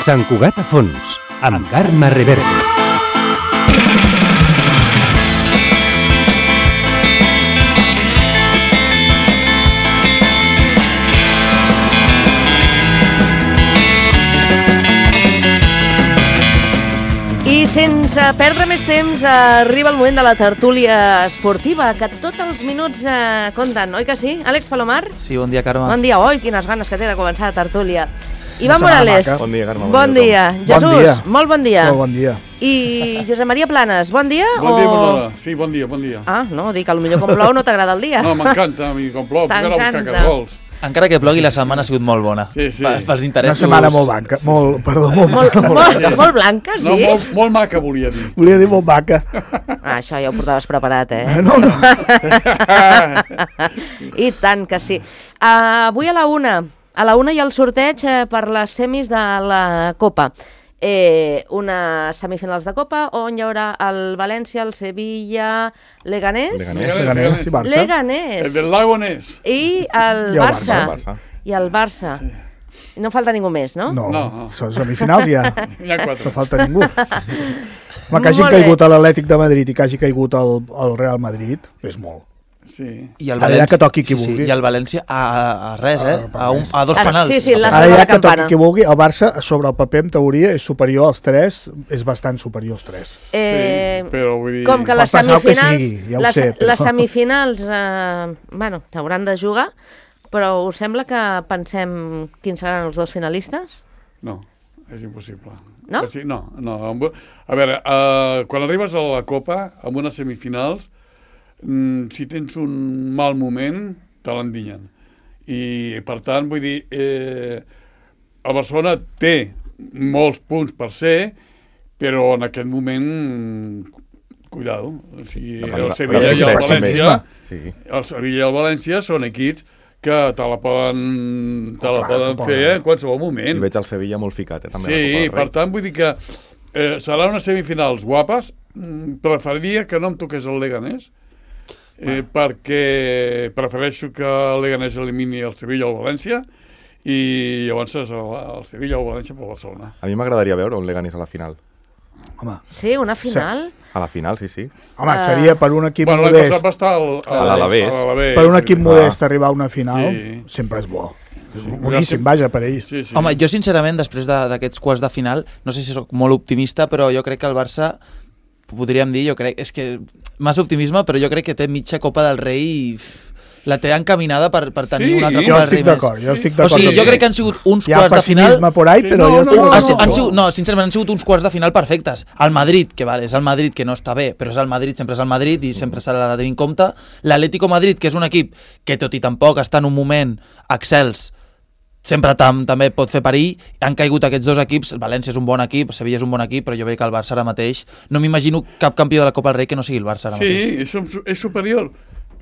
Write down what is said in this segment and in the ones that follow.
Sant Cugat a fons, amb Carme Reverte. I sense perdre més temps, arriba el moment de la tertúlia esportiva, que tots els minuts compten, oi que sí? Àlex Palomar? Sí, bon dia, Carme. Bon dia, oi, quines ganes que té de començar la tertúlia. Ivan Morales. Bon dia, Carme. Bon dia. Jesús, molt bon dia. Molt bon dia. I Josep Maria Planes, bon dia? Bon dia, bona hora. Sí, bon dia, bon dia. Ah, no, dic que potser com plou no t'agrada el dia. No, m'encanta, a mi com plou, puc anar a buscar cargols. Encara que plogui, la setmana ha sigut molt bona. Sí, sí. Pels interessos... Una setmana molt blanca, molt blanca, has dit? No, molt maca, volia dir. Volia dir molt maca. Ah, això ja ho portaves preparat, eh? No. I tant que sí. Avui a la una hi ha el sorteig per les semis de la Copa. Unes semifinals de Copa on hi haurà el València, el Sevilla, Leganés Leganés i Barça. Leganés. El del Lagonés. I el Barça. I el Barça. No falta ningú més, no? No. Són semifinals ja. N'hi ha 4. No falta ningú. Home, que hagi caigut a l'Atlètic de Madrid i que hagi caigut al Real Madrid, és molt. Sí. I el València, que toqui qui vulgui. I el València a res, a dos penals. Sí, ara ja que toqui qui vulgui, el Barça sobre el paper en teoria és superior als 3, és bastant superior als 3. Però vull dir... Com que les semifinals, ja ho sé, però... les semifinals t'hauran de jugar, però us sembla que pensem quins seran els dos finalistes? No, és impossible. No? No. A veure, quan arribes a la Copa, amb unes semifinals, si tens un mal moment, te l'endinyen. I, per tant, vull dir, el Barcelona té molts punts per ser, però en aquest moment, cuidado. O sigui, el Sevilla i el València, el Sevilla i el València són equips que te la poden fer en qualsevol moment. I veig el Sevilla molt ficat, també. Sí, per tant, vull dir que seran unes semifinals guapes. Preferiria que no em toqués el Leganés, perquè prefereixo que el Leganés elimini el Sevilla o el València i llavors el Sevilla o el València per Barcelona. A mi m'agradaria veure un Leganés a la final. Home. Sí, una final? A la final, sí. Home, seria per un equip modest... L'any passat va estar a l'Alavés. Per un equip modest arribar a una final sempre és bo. Boníssim, vaja, per ells. Sí. Home, jo sincerament, després d'aquests quarts de final, no sé si soc molt optimista, però jo crec que el Barça... podríem dir, jo crec, és que massa optimisme, però jo crec que té mitja Copa del Rei i la té encaminada per tenir una altra Copa del Rei més. Jo estic d'acord. O sigui, jo crec que han sigut uns quarts de final... Hi ha pessimisme por ahí, però sincerament, han sigut uns quarts de final perfectes. El Madrid, que és el Madrid que no està bé, però és el Madrid, sempre és el Madrid i sempre s'ha de tenir en compte. L'Atlético Madrid, que és un equip que tot i tampoc està en un moment excels, sempre també pot fer perill. Han caigut aquests dos equips. El València és un bon equip, el Sevilla és un bon equip, però jo veig que el Barça ara mateix no m'imagino cap campió de la Copa del Rei que no sigui el Barça ara mateix. Sí, és superior,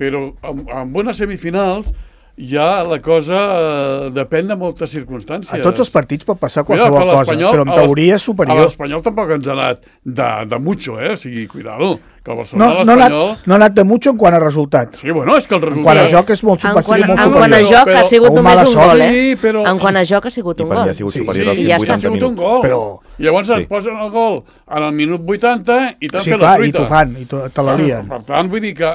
però amb unes semifinals ja la cosa depèn de moltes circumstàncies. A tots els partits pot passar qualsevol cosa, però en teoria és superior. A l'Espanyol tampoc ens ha anat de mucho, o sigui, cuidado, que el Barcelona l'Espanyol... No ha anat de mucho en quant a resultat. Sí, bueno, és que el resultat... En quant a joc és molt superior. En quant a joc ha sigut només un gol, En quant a joc ha sigut un gol. I ha sigut superior als 80 minuts. I llavors et posen el gol en el minut 80 i t'han fet la truita. I t'ho fan, i te l'alien. Per tant, vull dir que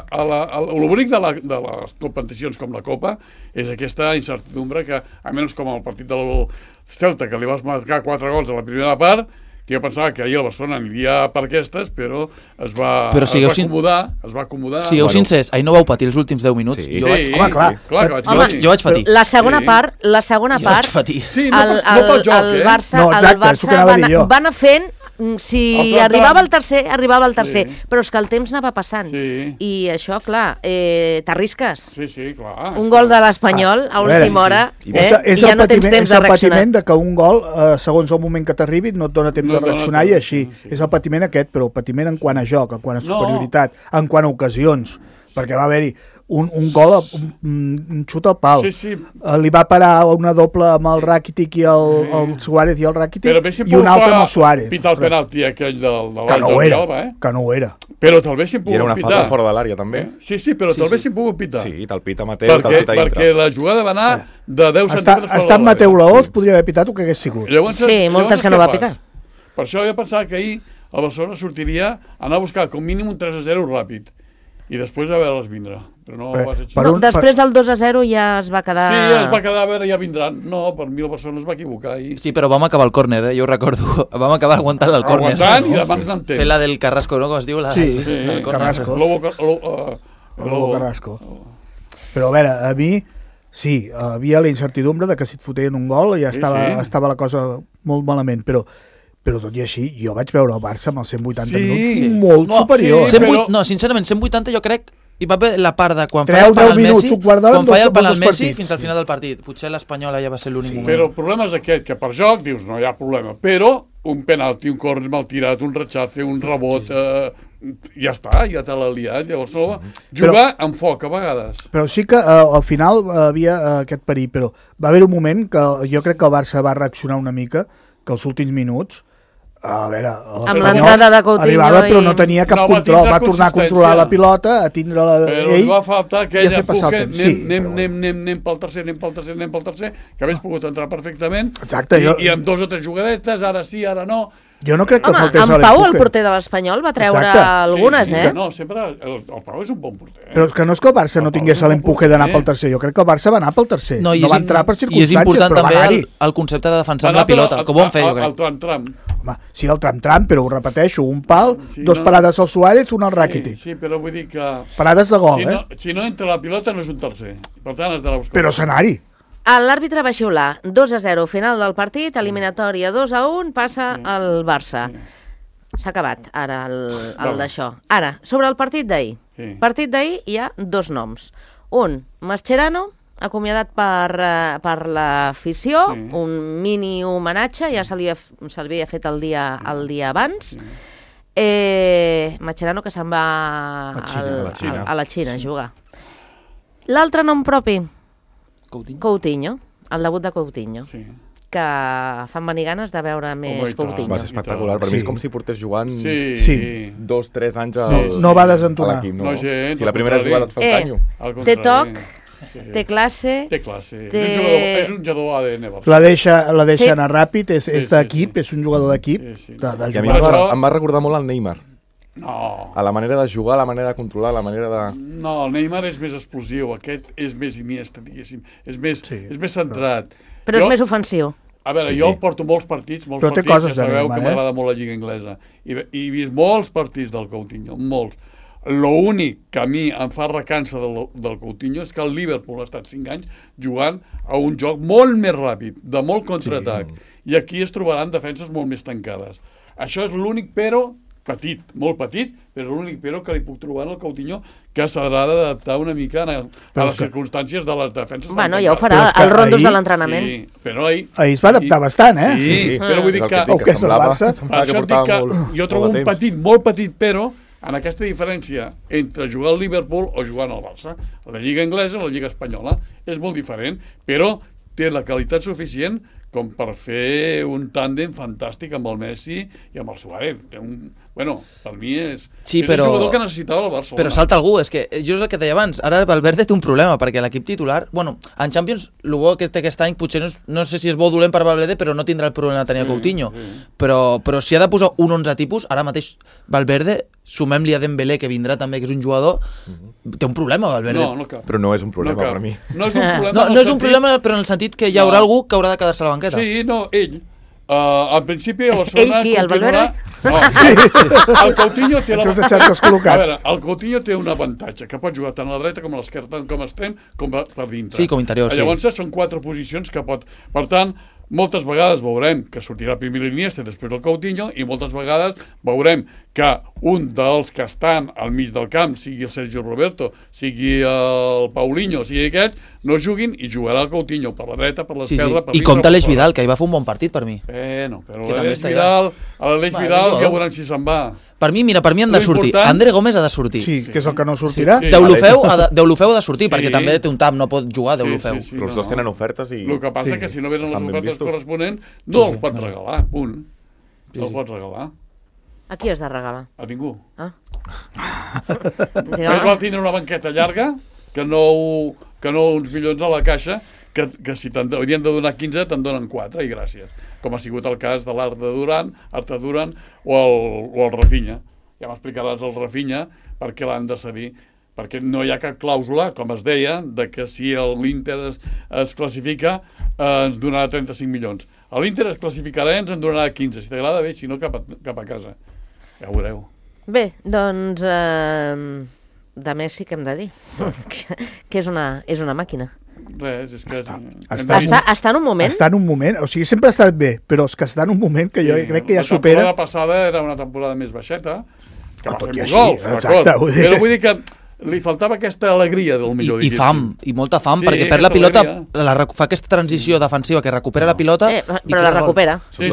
l'únic de les competicions com la Copa és aquesta incertidumbre que, a menys com el partit del Celta, que li vas marcar 4 gols a la primera part, que jo pensava que ahir el Barcelona aniria per aquestes, però es va acomodar. Sigueu sincers, ahir no vau patir els últims 10 minuts? Sí, home, clar. Jo vaig patir. La segona part, Sí, el Barça va anar fent... Si arribava el tercer, però és que el temps anava passant. I això, clar, t'arrisques. Sí, clar. Un gol de l'Espanyol a última hora i ja no tens temps de reaccionar. És el patiment de que un gol, segons el moment que t'arribi, no et dona temps de reaccionar i així. És el patiment aquest, però el patiment en quant a joc, en quant a superioritat, en quant a ocasions. Perquè va haver-hi un gol, un xut al pal. Sí. Li va parar una doble amb el Rakitic i el Suárez i el Rakitic i una altra amb el Suárez. Pitar el penalti aquell del que no ho era, que no ho era. Però te'l haguessin I era pogut una pitar. falta fora de l'àrea, també. Sí, però te'l haguessin pogut pitar. Sí, te'l pita Mateu, te'l pita dintre. Perquè la jugada va anar de 10 centímetres fora de Estat Mateu Laoz podria haver pitat el que hagués sigut. Sí, moltes que no va pitar. Per això jo pensava que ahir el Barcelona sortiria a anar a buscar com mínim un 3-0 ràpid i després a veure'ls vindre. Però no va ser així. Després del 2-0 ja es va quedar... Sí, es va quedar a veure, ja vindran. No, per mi el Barcelona es va equivocar ahir. Sí, però vam acabar el còrner, jo ho recordo. Vam acabar aguantant el còrner. Aguantant i demà en temps. Fer la del Carrasco, no? Com es diu? Sí, Carrasco. Lobo Carrasco. Però a veure, a mi... Sí, havia la incertidumbre de que si et foteien un gol ja estava la cosa molt malament, però tot i així, jo vaig veure el Barça amb els 180 minuts molt superior. Sincerament, 180 jo crec hi va haver la part de quan feia el penal Messi, Messi fins al final del partit. Potser l'Espanyola ja va ser l'únic moment. Però el problema és aquest, que per joc dius no hi ha problema, però un penalti, un córner mal tirat, un rechace, un rebot, ja està, ja te l'ha liat. Llavors jugar amb foc a vegades. Però sí que al final havia aquest perill, però va haver un moment que jo crec que el Barça va reaccionar una mica, que els últims minuts a veure, amb l'entrada de Coutinho arribava, però no tenia cap control, va tornar a controlar la pilota, a tindre-la ell, però li va faltar aquell empuje, anem pel tercer, que hagués pogut entrar perfectament. Exacte, i amb 2 o 3 jugadetes, ara sí, ara no. Jo no crec que faltés en Pau, el porter de l'Espanyol, va treure algunes, No, sempre el Pau és un bon porter. Però és que no és que el Barça no tingués l'empuje d'anar pel tercer, jo crec que el Barça va anar pel tercer, no va entrar per circumstàncies, i és important també el concepte de defensar amb la pilota, que ho van fer, jo crec. El tram-tram. Sí, el tram-tram, però ho repeteixo, un pal, 2 parades al Suárez, una al Rakitic. Sí, però vull dir que... Parades de gol, Si no entra la pilota no és un tercer, per tant has d'anar a buscar. Però scenari. L'àrbitre va xiular 2-0 final del partit, eliminatòria 2-1, passa el Barça. S'ha acabat ara el d'això. Ara, sobre el partit d'ahir. Partit d'ahir hi ha 2 noms. Un, Mascherano, acomiadat per l'afició, un mini homenatge, ja se li havia fet el dia abans. Mascherano que se'n va a la Xina a jugar. L'altre nom propi, Coutinho, el debut de Coutinho, que fan venir ganes de veure més Coutinho. Va ser espectacular, per mi és com si portés jugant 2-3 anys a l'equip. No va desentonar. Si la primera jugada et fa el canyo. Té toc, té classe. És un jugador ADN. La deixa anar ràpid, és d'equip, és un jugador d'equip. I a mi em va recordar molt el Neymar. No. A la manera de jugar, a la manera de controlar, a la manera de... No, el Neymar és més explosiu, aquest és més Iniesta, diguéssim. És més centrat. Però és més ofensiu. A veure, jo porto molts partits, ja sabeu que m'agrada molt la Lliga Anglesa. I he vist molts partits del Coutinho, molts. L'únic que a mi em fa recança del Coutinho és que el Liverpool ha estat 5 anys jugant a un joc molt més ràpid, de molt contraatac. I aquí es trobaran defenses molt més tancades. Això és l'únic però... petit, molt petit, però és l'únic però que li puc trobar en el Coutinho, que s'haurà d'adaptar una mica a les circumstàncies de les defenses. Bueno, ja ho farà, els rondos de l'entrenament. Sí, però ahir es va adaptar bastant, eh? Sí, però vull dir que... que és el Barça. Per això et dic que jo trobo un petit, molt petit, però en aquesta diferència entre jugar al Liverpool o jugar al Barça. La Lliga Anglesa o la Lliga Espanyola és molt diferent, però té la qualitat suficient com per fer un tàndem fantàstic amb el Messi i amb el Suárez. Bueno, per mi és un jugador que necessitava el Barcelona. Però salta algú, és que jo és el que deia abans, ara Valverde té un problema, perquè l'equip titular, bueno, en Champions, el bo que té aquest any, potser no sé si és bo o dolent per Valverde, però no tindrà el problema de tenir Coutinho. Però si ha de posar un 11 tipus, ara mateix Valverde, sumem-li a Dembélé, que vindrà també, que és un jugador, té un problema, Valverde. Però no és un problema per mi. No és un problema, no és un problema, però en el sentit que hi haurà algú que haurà de quedar-se a la banqueta. Sí, no, ell. Al principi a Barcelona... Ell qui, el Valverde? No, el Coutinho té el Coutinho té un avantatge, que pot jugar tant a la dreta com a l'esquerra, tant com a extrem com per dintre. Sí, com interior, sí. Llavors són 4 posicions que pot... Per tant, moltes vegades veurem que sortirà primer l'Iniesta i després el Coutinho, i moltes vegades veurem que un dels que estan al mig del camp, sigui el Sergio Roberto, sigui el Paulinho, sigui aquest, no juguin i jugarà el Coutinho per la dreta, per l'esquerra, per dintre. I compta l'Eix Vidal, que hi va fer un bon partit per mi. Però l'Aleix Vidal ja veurem si se'n va. Per mi han de sortir. André Gómez ha de sortir. Sí, que és el que no sortirà. Deulofeu ha de sortir, perquè també té un tap, no pot jugar Deulofeu. Però els dos tenen ofertes i... El que passa que si no venen les ofertes corresponents, no els pots regalar, punt. No els pots regalar. A qui has de regalar? A ningú. Ah. Més val tindre una banqueta llarga que no uns milions a la caixa, que si haurien de donar 15 te'n donen 4 i gràcies, com ha sigut el cas de l'Arta Duran o el Rafinha. Ja m'explicaràs el Rafinha per què l'han de cedir, perquè no hi ha cap clàusula, com es deia, de que si l'Inter es classifica ens donarà 35 milions. L'Inter es classificarà i ens en donarà 15, si t'agrada bé, si no cap a casa. Ja ho veureu. Bé, doncs de Messi què hem de dir? Que és una màquina. Res, és que... Està en un moment? Està en un moment, o sigui, sempre ha estat bé, però és que està en un moment que jo crec que ja supera... La temporada passada era una temporada més baixeta, que va fer molts gols, exacte, però vull dir que li faltava aquesta alegria del millor. I fam, i molta fam, perquè perd la pilota, fa aquesta transició defensiva que recupera la pilota... Però la recupera. Sí.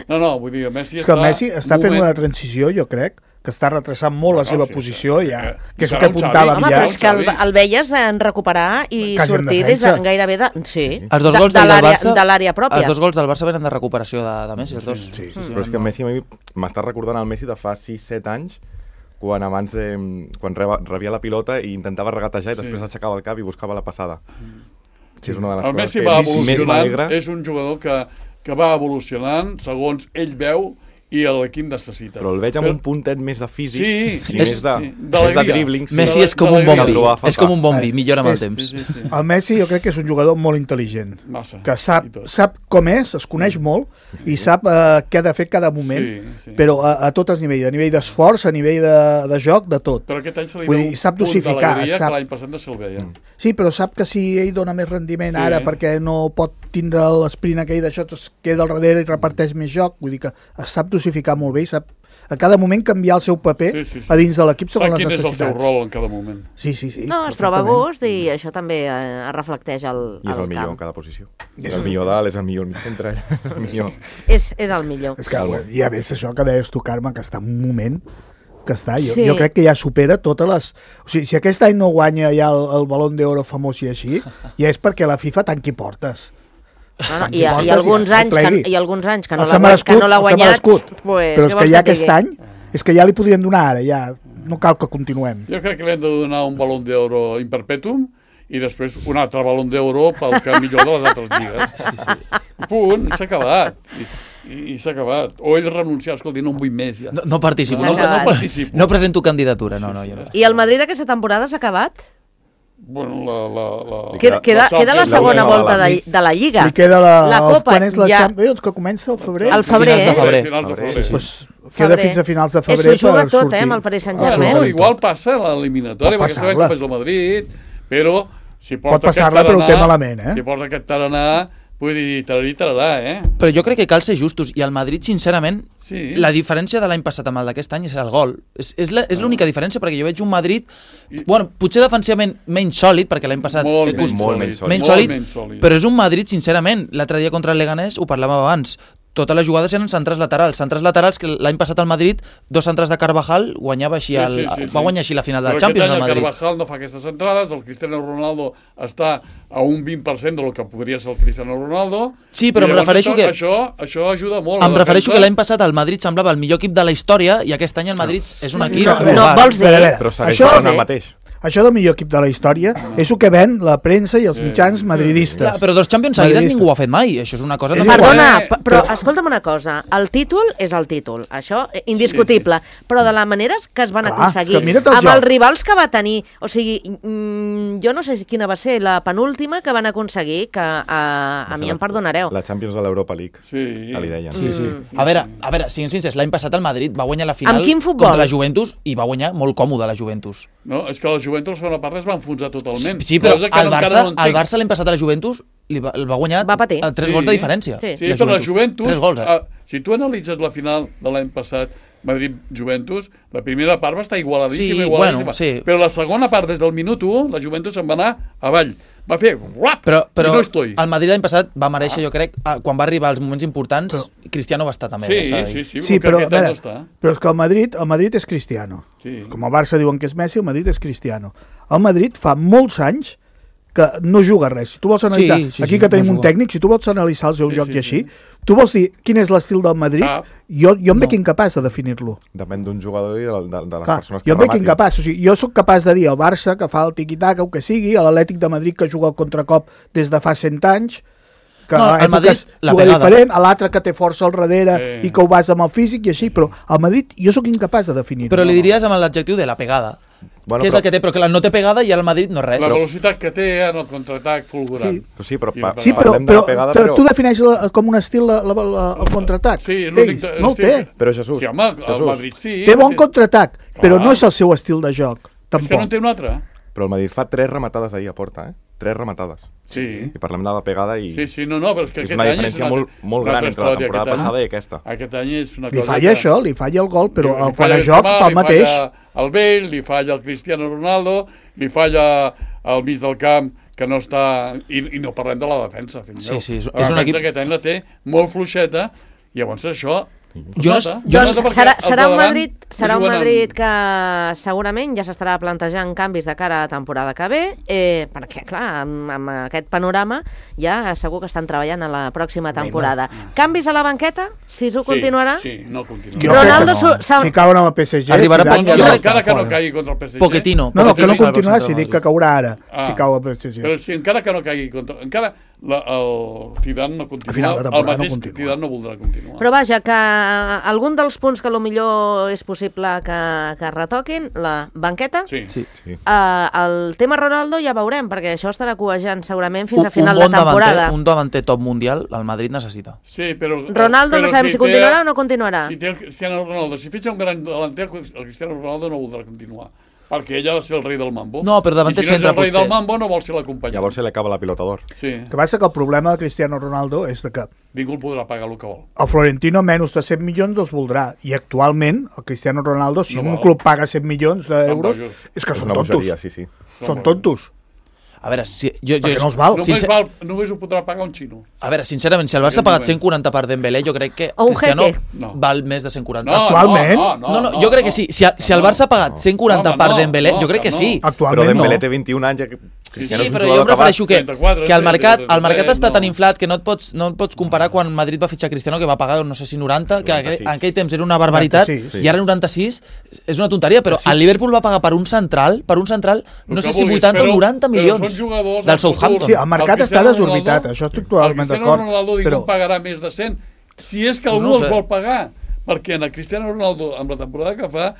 No, vull dir, Messi està fent una transició, jo crec, que està retrasant molt la seva posició, ja, que és el que apuntava ja. Home, però és que el veies en recuperar i sortir des de gairebé de... Sí, de l'àrea pròpia. Els dos gols del Barça venen de recuperació de Messi, els dos. Sí. Però és que Messi m'està recordant el Messi de fa 6-7 anys, quan rebia la pilota i intentava regatejar i després aixecava el cap i buscava la passada. Sí, és una de les coses que més m'alegra. És un jugador que va evolucionant segons ell veu i l'equip necessita. Però el veig amb un puntet més de físic i més de dribbling. Messi és com un bombi, és com un bombi, millora amb el temps. El Messi jo crec que és un jugador molt intel·ligent, que sap com és, es coneix molt i sap què ha de fer cada moment, però a tots els nivells, a nivell d'esforç, a nivell de joc, de tot. Però aquest any se li veu un punt d'alegria que l'any passat no se'l veia. Sí, però sap que si ell dona més rendiment ara perquè no pot tindre l'esprint aquell d'això, es queda al darrere i reparteix més joc, vull dir que sap dosificar molt bé i sap a cada moment canviar el seu paper a dins de l'equip segons les necessitats. Sap quin és el seu rol en cada moment. Sí. No, es troba a gust i això també es reflecteix al camp. I és el millor en cada posició. És el millor dalt, és el millor centre, el millor. És el millor. És que ja ves això que deies tu, Carme, que està en un moment que està, jo crec que ja supera totes les... O sigui, si aquest any no guanya ja el Balón d'Oro famós i així, ja és perquè la FIFA tanqui portes. I alguns anys que no l'ha guanyat, però és que ja aquest any és que ja li podrien donar ara, ja no cal que continuem. Jo crec que li hem de donar un Balón d'Oro in perpetuum i després un altre Balón d'Oro pel que millor de les altres lligues. Punt, s'ha acabat. I s'ha acabat. O ell renunciar, escolti, no en vull més ja. No participo, no presento candidatura, no. I el Madrid aquesta temporada s'ha acabat? Bueno, queda la segona volta de la Lliga. Li queda la Copa. Quan és la Champions, que comença al febrer? Al febrer, queda fins a finals de febrer per sortir. S'ho juga tot, amb el Paris Saint-Germain. Igual passa l'eliminatòria, perquè sabem com és el Madrid, però si pot passar-la, però ho té malament, si porta aquest tarannà, vull dir, tararà, Però jo crec que cal ser justos, i el Madrid, sincerament, la diferència de l'any passat amb el d'aquest any és el gol. És l'única diferència, perquè jo veig un Madrid, potser defensivament menys sòlid, perquè l'any passat... Molt menys sòlid, però és un Madrid, sincerament, l'altre dia contra el Leganés, ho parlàvem abans, totes les jugades eren centres laterals que l'any passat al Madrid, 2 centres de Carvajal, guanyava així va guanyar així la final de la Champions al Madrid. Però aquest any el Carvajal no fa aquestes entrades, el Cristiano Ronaldo està a un 20% del que podria ser el Cristiano Ronaldo. Sí, però em refereixo que... Això ajuda molt. Em refereixo que l'any passat el Madrid semblava el millor equip de la història i aquest any el Madrid és un equip... No, vols dir? Però segueix parlant el mateix. Això del millor equip de la història és el que ven la premsa i els mitjans madridistes. Clar, però 2 Champions seguides ningú ho ha fet mai. Això és una cosa... Perdona, però escolta'm una cosa. El títol és el títol. Això, indiscutible. Però de la manera que es van aconseguir, amb els rivals que va tenir... O sigui, jo no sé quina va ser la penúltima que van aconseguir, que a mi em perdonareu. La Champions de l'Europa League. Sí. Li deien. Sí. A veure, siguin sincers, l'any passat el Madrid va guanyar la final contra la Juventus i va guanyar molt còmode la Juventus. No, és que la Juventus la segona part es va enfonsar totalment. Sí, però el Barça l'any passat a la Juventus el va guanyar a 3 gols de diferència. Sí, però la Juventus, si tu analitzes la final de l'any passat, Madrid-Juventus, la primera part va estar igualadíssima, Sí, igualadíssima. bueno, sí. Però la segona part, des del minut 1, la Juventus se'n va anar avall. Va fer rap, Però i no estoy. el Madrid l'any passat va mereixer, jo crec, quan va arribar als moments importants, Cristiano va estar també. Sí, però, aquest any no està. però és que el Madrid és Cristiano. Sí. Com el Barça diuen que és Messi, el Madrid és Cristiano. El Madrid fa molts anys que no juga res. Si tu vols analitzar, aquí que tenim un tècnic, si tu vols analitzar el seu joc i així, tu vols dir quin és l'estil del Madrid, jo em veig incapaç de definir-lo. Depèn d'un jugador i de les Clar, persones que jo em veig rematin. incapaç. O sigui, jo sóc capaç de dir al Barça que fa el tiqui-taca o que sigui, a l'Atlètic de Madrid que juga al contracop des de fa 100 anys, que No, a el Madrid, èpoques la juga pegada. diferent, a l'altre que té força al darrere i que ho basa amb el físic i així, però al Madrid jo sóc incapaç de definir-ho. Però li diries amb l'adjectiu de la pegada. Bueno, Que és el que té, però que no té pegada i al Madrid no res. La velocitat que té en el contraatac fulgurant. Sí. Però Sí, però, parlem de la pegada, però... tu defineixes com un estil el contraatac. Sí, l'únic... No el té. Però Jesús, Sí, home, el Madrid sí. Té bon contraatac, però Clar. no és el seu estil de joc. És que no en Tampoc. té un altre. però el Madrid fa 3 rematades ahir a porta, 3 rematades. Sí. I parlem de la pegada i... Sí, no, però és que és aquest una any diferència molt gran entre la temporada passada i aquesta. Aquest any és una Li cosa falla això, li falla el gol, però Li quan falla a joc Benzema, fa el mateix. Li falla el Bale, li falla el Cristiano Ronaldo, li falla el mig del camp, que no està... I no parlem de la defensa, fill meu. Sí, és La un defensa equip... aquest any la té molt fluixeta, i llavors això... Doncs serà un Madrid que segurament ja s'estarà plantejant canvis de cara a temporada que ve, perquè, clar, amb aquest panorama ja segur que estan treballant a la pròxima temporada. Canvis a la banqueta? Sisu continuarà? Sí, no continuarà. Jo Ronaldo crec que no. Si cauen amb el PSG... Arribarà tirat, jo crec encara que no caigui contra el PSG. Pochettino. No, que no Pochettino continuarà, serà si el dic que Madrid. caurà ara, si cau el PSG. Però si encara que no caigui contra... Encara el Zidane no continua, A final de el temporada no mateix continua. Zidane no voldrà continuar. Però vaja, que algun dels punts que millor és possible que retoquin, la banqueta, Sí. el tema Ronaldo ja veurem, perquè això estarà cuejant segurament fins a Un final bon de temporada. davanter, un davanter top mundial, el Madrid necessita. Sí, però... Ronaldo no sabem si continuarà o no continuarà. Si té el Cristiano Ronaldo, si fitxa un gran delanter, el Cristiano Ronaldo no voldrà continuar. Perquè ell ha de ser el rei del mambo. No, però davanter I si no és centre el rei potser. del mambo, no vol ser l'acompanyant. Llavors se li acaba la pilota d'or. Sí, El que passa que el problema de Cristiano Ronaldo és de que ningú el podrà pagar el que vol. el Florentino menys de 100 milions els voldrà, i actualment el Cristiano Ronaldo, si No un val. club paga 100 milions d'euros, bojos. és que És són una tontos. bogeria, sí. Són tontos. A veure, Perquè no els val. Només ho podrà pagar un xino. A veure, sincerament, si el Barça ha pagat 140 per Dembélé, jo crec que O un Cristiano Jeque. No. val més de 140. Actualment? No, jo crec que sí. Si el Barça ha pagat 140 per Dembélé, jo crec que sí. Però Actualment Dembélé no. té 21 anys. Sí, però jo em refereixo que el mercat està tan inflat que no et pots comparar quan Madrid va fitxar Cristiano, que va pagar, no sé si 90, que en aquell temps era una barbaritat, 96, i ara 96 és una tonteria, però el Liverpool va pagar per un central, no sé si 80 o 90 milions del Southampton. Sí, el mercat està desorbitat, això estic totalment d'acord. El Cristiano Ronaldo ningú pagarà més de 100, si és que algú no ho sé. els vol pagar, perquè en el Cristiano Ronaldo, amb la temporada que fa,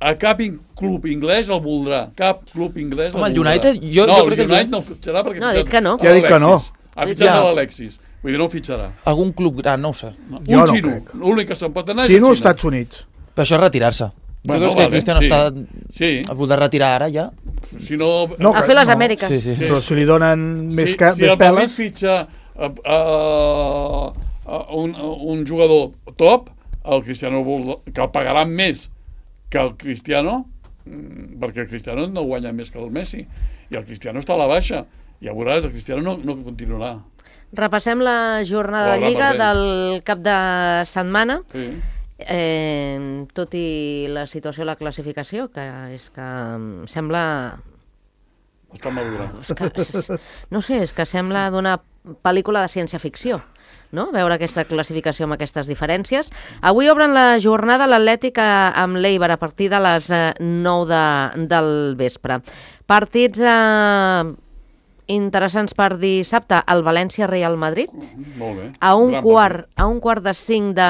a cap club inglès el voldrà. Cap club inglès Home, el el voldrà. United, jo crec que el United no el fitxarà perquè... No, ha dit que no. Ja ha dit que no. Ha fitxat Ja. l'Alexis. Vull dir, no el fitxarà. Algun club gran, no ho sé. No. Jo Un no xino. crec. L'únic que se'n pot anar és Xino a als Xina. Estats Units. Però això és retirar-se. Bueno, Tu creus que vale, Cristiano sí. està Sí. a punt de retirar ara ja? Si no... No, A fer les no. Amèriques. Sí, sí. Sí. Però si li donen més si el Madrid peles... fitxa un jugador top, el Cristiano que el pagaran més que el Cristiano, perquè el Cristiano no guanya més que el Messi, i el Cristiano està a la baixa. Ja veuràs, el Cristiano no continuarà. Repassem la jornada de Hola, Lliga Marlene. del cap de setmana. Sí. Tot i la situació de la classificació, que és que sembla... Està madura. No sé, és que sembla d'una pel·lícula de ciència-ficció, no? Veure aquesta classificació amb aquestes diferències. Avui obren la jornada l'Atlètic amb l'Eibar a partir de les 9 del vespre. Partits interessants per dissabte, el València-Real Madrid. Molt bé. A un Gran quart de 5 de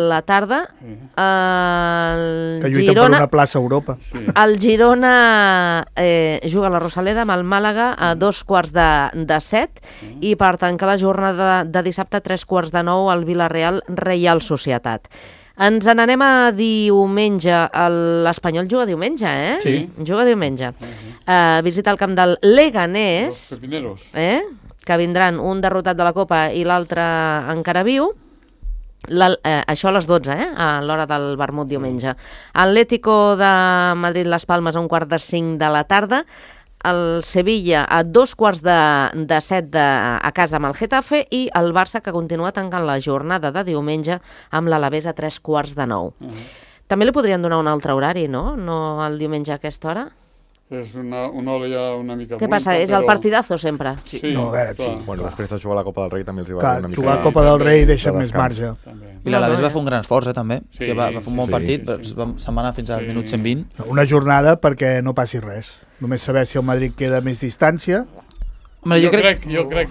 la tarda, el Que lluiten per Girona... una plaça a Europa. Sí. El Girona juga a la Rosaleda amb el Màlaga a 7:15 i per tancar la jornada de dissabte a 9:15 el Villarreal Reial Societat. Ens n'anem a diumenge. L'Espanyol juga diumenge, eh? Sí. Juga diumenge. Visita el camp del Leganés, Els pepineros. que vindran un derrotat de la Copa i l'altre encara viu. això a les 12, a l'hora del vermut diumenge. Atlético de Madrid-Las Palmes a 4:45 de la tarda, el Sevilla a 6:45 a casa amb el Getafe i el Barça, que continua tancant la jornada de diumenge amb l'Alavés a 8:45. També li podrien donar un altre horari, no? No el diumenge a aquesta hora? És una hora ja una mica... Què passa? És el partidazo sempre? Sí, No, a veure, clar. sí. Bueno, després de jugar a la Copa del Rei també els hi va Clar, donar una mica... jugar a Copa del Rei deixa de més descans. marge. També. I l'Alavés va fer un gran esforç, també, Sí, que va fer un bon sí, partit, sí. se'n va anar fins al minut 120. Una jornada perquè no passi res. Només saber si el Madrid queda a més distància. Home, Jo crec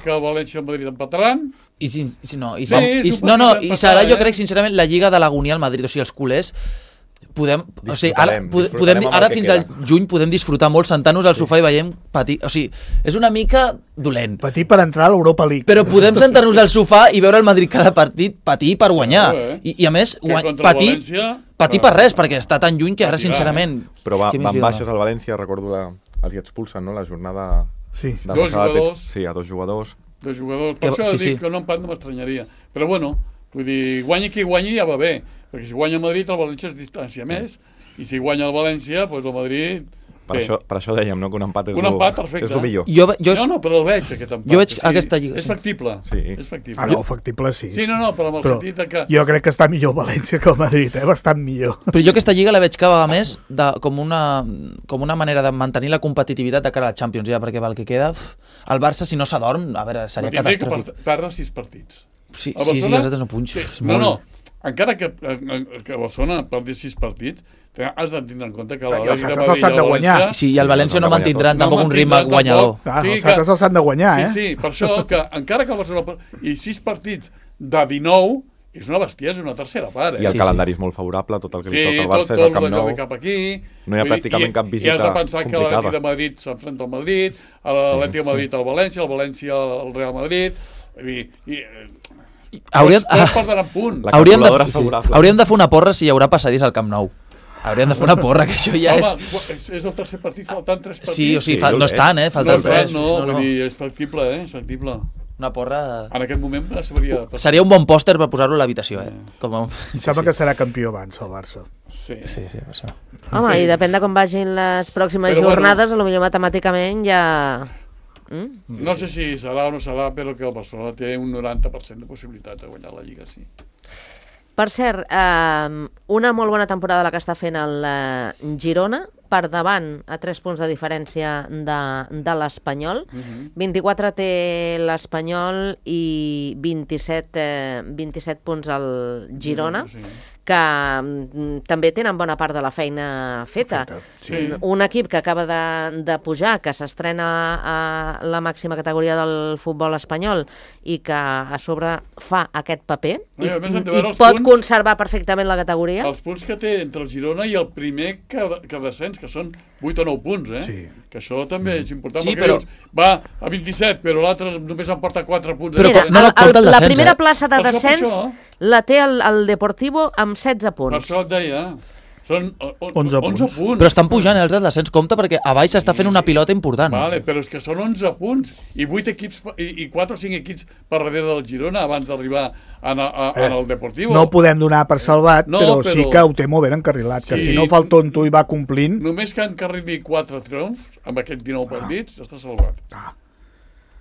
que el València i el Madrid empataran. I si no, i, Sí, i, és un no, no, partit i serà, jo empatat, crec, sincerament, la Lliga de l'agonia al Madrid. O sigui, els culers podem, o sigui, ara, Disfrutarem amb ara el que fins queda. al juny podem disfrutar molt sentant-nos al sofà i veiem patir. O sigui, és una mica dolent. Patir per entrar a l'Europa League. Però podem sentar-nos al sofà i veure el Madrid cada partit patir per guanyar. I a més, Que contra el València... patir per res, perquè està tan lluny que ara, Patirà, sincerament... Però què més van li dona? baixes al València, recordo, els hi expulsen, no?, la jornada... Sí. de Dos passada. jugadors. Sí, a 2 jugadors. De jugadors. Per això sí, dic sí. que un empat no m'estranyaria. Però bueno, vull dir, guanyi qui guanyi ja va bé. Perquè si guanya el Madrid, el València es distància més. I si guanya el València, doncs el Madrid... Per això dèiem, no?, que un empat és Un empat, perfecte. és el millor. No, però el veig, aquest empat. Jo veig aquesta lliga, És sí. factible. Sí. És factible. Ah, no, factible sí. Sí, no, però amb el Però sentit de que... jo crec que està millor el València que el Madrid, bastant millor. Però jo aquesta lliga la veig cada vegada més com una manera de mantenir la competitivitat de cara a la Champions, ja, perquè el que queda... El Barça, si no s'adorm, a veure, seria Tindria catastròfic. que perdre 6 partits. Sí, A sí, Barcelona- els altres no punys. Sí, És no, molt... no, encara que Barcelona perdi 6 partits, has de tindre en compte que la I els Lliga de altres Madrid els han i de el guanyar. València... Sí, i el València no mantindran No tampoc un ritme mantindran guanyador. tampoc. Clar, Sí, els altres els han de guanyar, Sí, per això que encara que el Barcelona... I 6 partits de 19 és una bestiesa, és una tercera part. I el Sí, calendari és molt favorable, tot el que li Sí, toca al tot, Barça és el Camp d'allò Nou. ve cap aquí. No hi ha Vull dir, pràcticament cap visita I has de pensar que l'Atlètic de complicada. Madrid s'enfrenta al Madrid, l'Atlètic de Madrid al València, el València al Real Madrid... Vull dir, tots perdran punt. La Hauríem calculadora de, és favorable. hauríem de fer una porra si hi haurà passadís al Camp Nou. Hauríem de fer una porra, que això ja Home, és... és el tercer partit, faltant 3 partits. Sí, o sigui, Sí, no és tant, falten tres. No, vull dir, és factible, és factible. Una porra... En aquest moment s'hauria... Seria un bon pòster per posar-lo a l'habitació, Com a... Em sembla que serà campió abans el Barça. Sí. Sí, per això. Home, i depèn de com vagin les pròximes Però bueno. jornades, potser matemàticament ja... No sé si serà o no serà, però que el Barcelona té un 90% de possibilitat de guanyar la Lliga, sí. Per cert, una molt bona temporada la que està fent el Girona, per davant a 3 punts de diferència de l'Espanyol. 24 té l'Espanyol i 27 punts al Girona, Sí. que també tenen bona part de la feina feta. Sí. Un equip que acaba de pujar, que s'estrena a la màxima categoria del futbol espanyol i que a sobre fa aquest paper No, i a més hem de i veure els pot punts. conservar perfectament la categoria. Els punts que té entre el Girona i el primer que descens, que són 8 o 9 punts, Sí. Que això també és important, Sí, perquè però- dius, va a 27, però l'altre només en porta 4 punts. Però Mira, no la compta el la descens, primera plaça de Per això, descens per això. la té el Deportivo amb 16 Per punts. això et deia, són 11 11 punts. punts. Però estan pujant, els del descens, compte, perquè a baix s'està fent una pilota important. Vale, però és que són 11 punts i 8 equips i 4 o 5 equips per darrere del Girona abans d'arribar en el Deportivo. No ho podem donar per salvat, No, però però- sí que ho té molt ben encarrilat, que Sí. si no fa el tonto i va complint... Només que encarrili 4 triomfs amb aquests 19 partits, està salvat.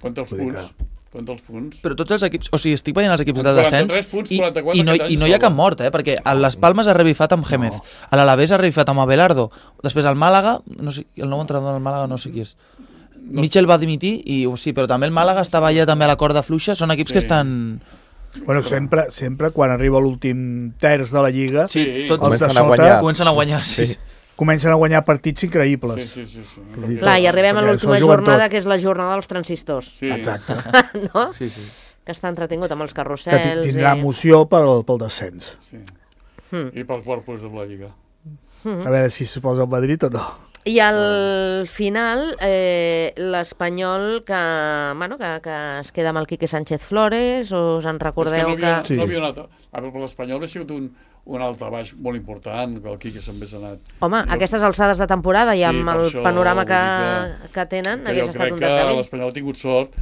Compte els Vull dir punts. Compte els punts. Però tots els equips, o sigui, estic veient els equips del 43 descens punts, i, 44 i, no, aquest any i no hi ha sola. cap mort, perquè a les Palmes ha revifat amb Gémez, a l'Alavés ha revifat amb Abelardo, després al Màlaga, no sé, el nou entrenador del Màlaga no sé qui és. Mitchell va dimitir, sí, però també el Màlaga estava ja també a la corda fluixa, són equips que estan... Bueno, sempre quan arriba l'últim terç de la Lliga, Sí, tots els de Comencen a sota guanyar. comencen a guanyar, sí. Sí. comencen a guanyar partits increïbles. Sí. Clar, i arribem a Perquè l'última s'ho juguen jornada, tot. que és la jornada dels transistors, Sí. Exacte. no? Sí, sí. Que està entretingut amb els Que carrusels. tindrà emoció pel descens. Sí. Hmm. I pel quart puesto de la Lliga. A veure si s'hi posa el Madrid o no. I al final, l'Espanyol que es queda amb el Quique Sánchez Flores, us en recordeu que... Sí. No havia anat... A veure, per l'Espanyol ha sigut un altabaix molt important, que el Quique se'n hagués anat. Home, a aquestes alçades de temporada i amb per el això panorama vull dir que tenen, que hagués jo estat crec un que desgavell. l'Espanyol ha tingut sort.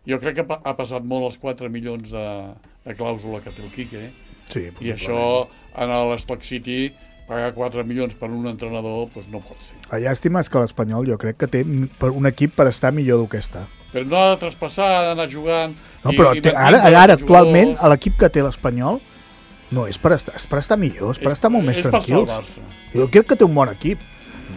Jo crec que ha passat molt els 4 milions de clàusula que té el Quique. Sí, I això, en l'Stock City, pagar 4 milions per un entrenador, doncs no pot ser. La llàstima és que l'Espanyol jo crec que té un equip per estar millor del que està. Però no ha de traspassar, ha d'anar jugant... No, però ara actualment, l'equip que té l'Espanyol no és per estar millor, és per estar molt més tranquils. És per salvar-se. Jo crec que té un bon equip.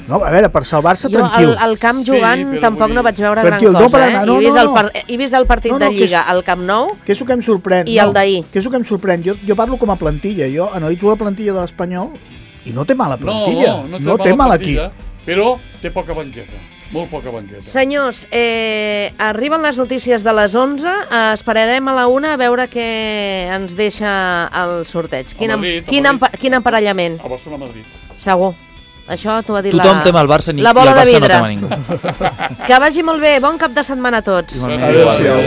No, a veure, per salvar-se tranquils. Jo al camp jugant tampoc no vaig veure gran tranquil, cosa, he vist el partit de Lliga al Camp Nou que és el que em sorprèn. I el d'ahir. Que és el que em sorprèn. Jo parlo com a plantilla, jo analitzo la plantilla de l'Espanyol i no té mala plantilla. No té mal equip. Però té poca banqueta, molt poca banqueta. Senyors, arriben les notícies de les 11, esperarem a la 1 a veure què ens deixa el sorteig. Quin emparellament? A Barcelona-Madrid. Segur. Això t'ho ha dit tothom tem el Barça la bola de vidre. No ningú. Que vagi molt bé, bon cap de setmana a tots. Adéu-siau.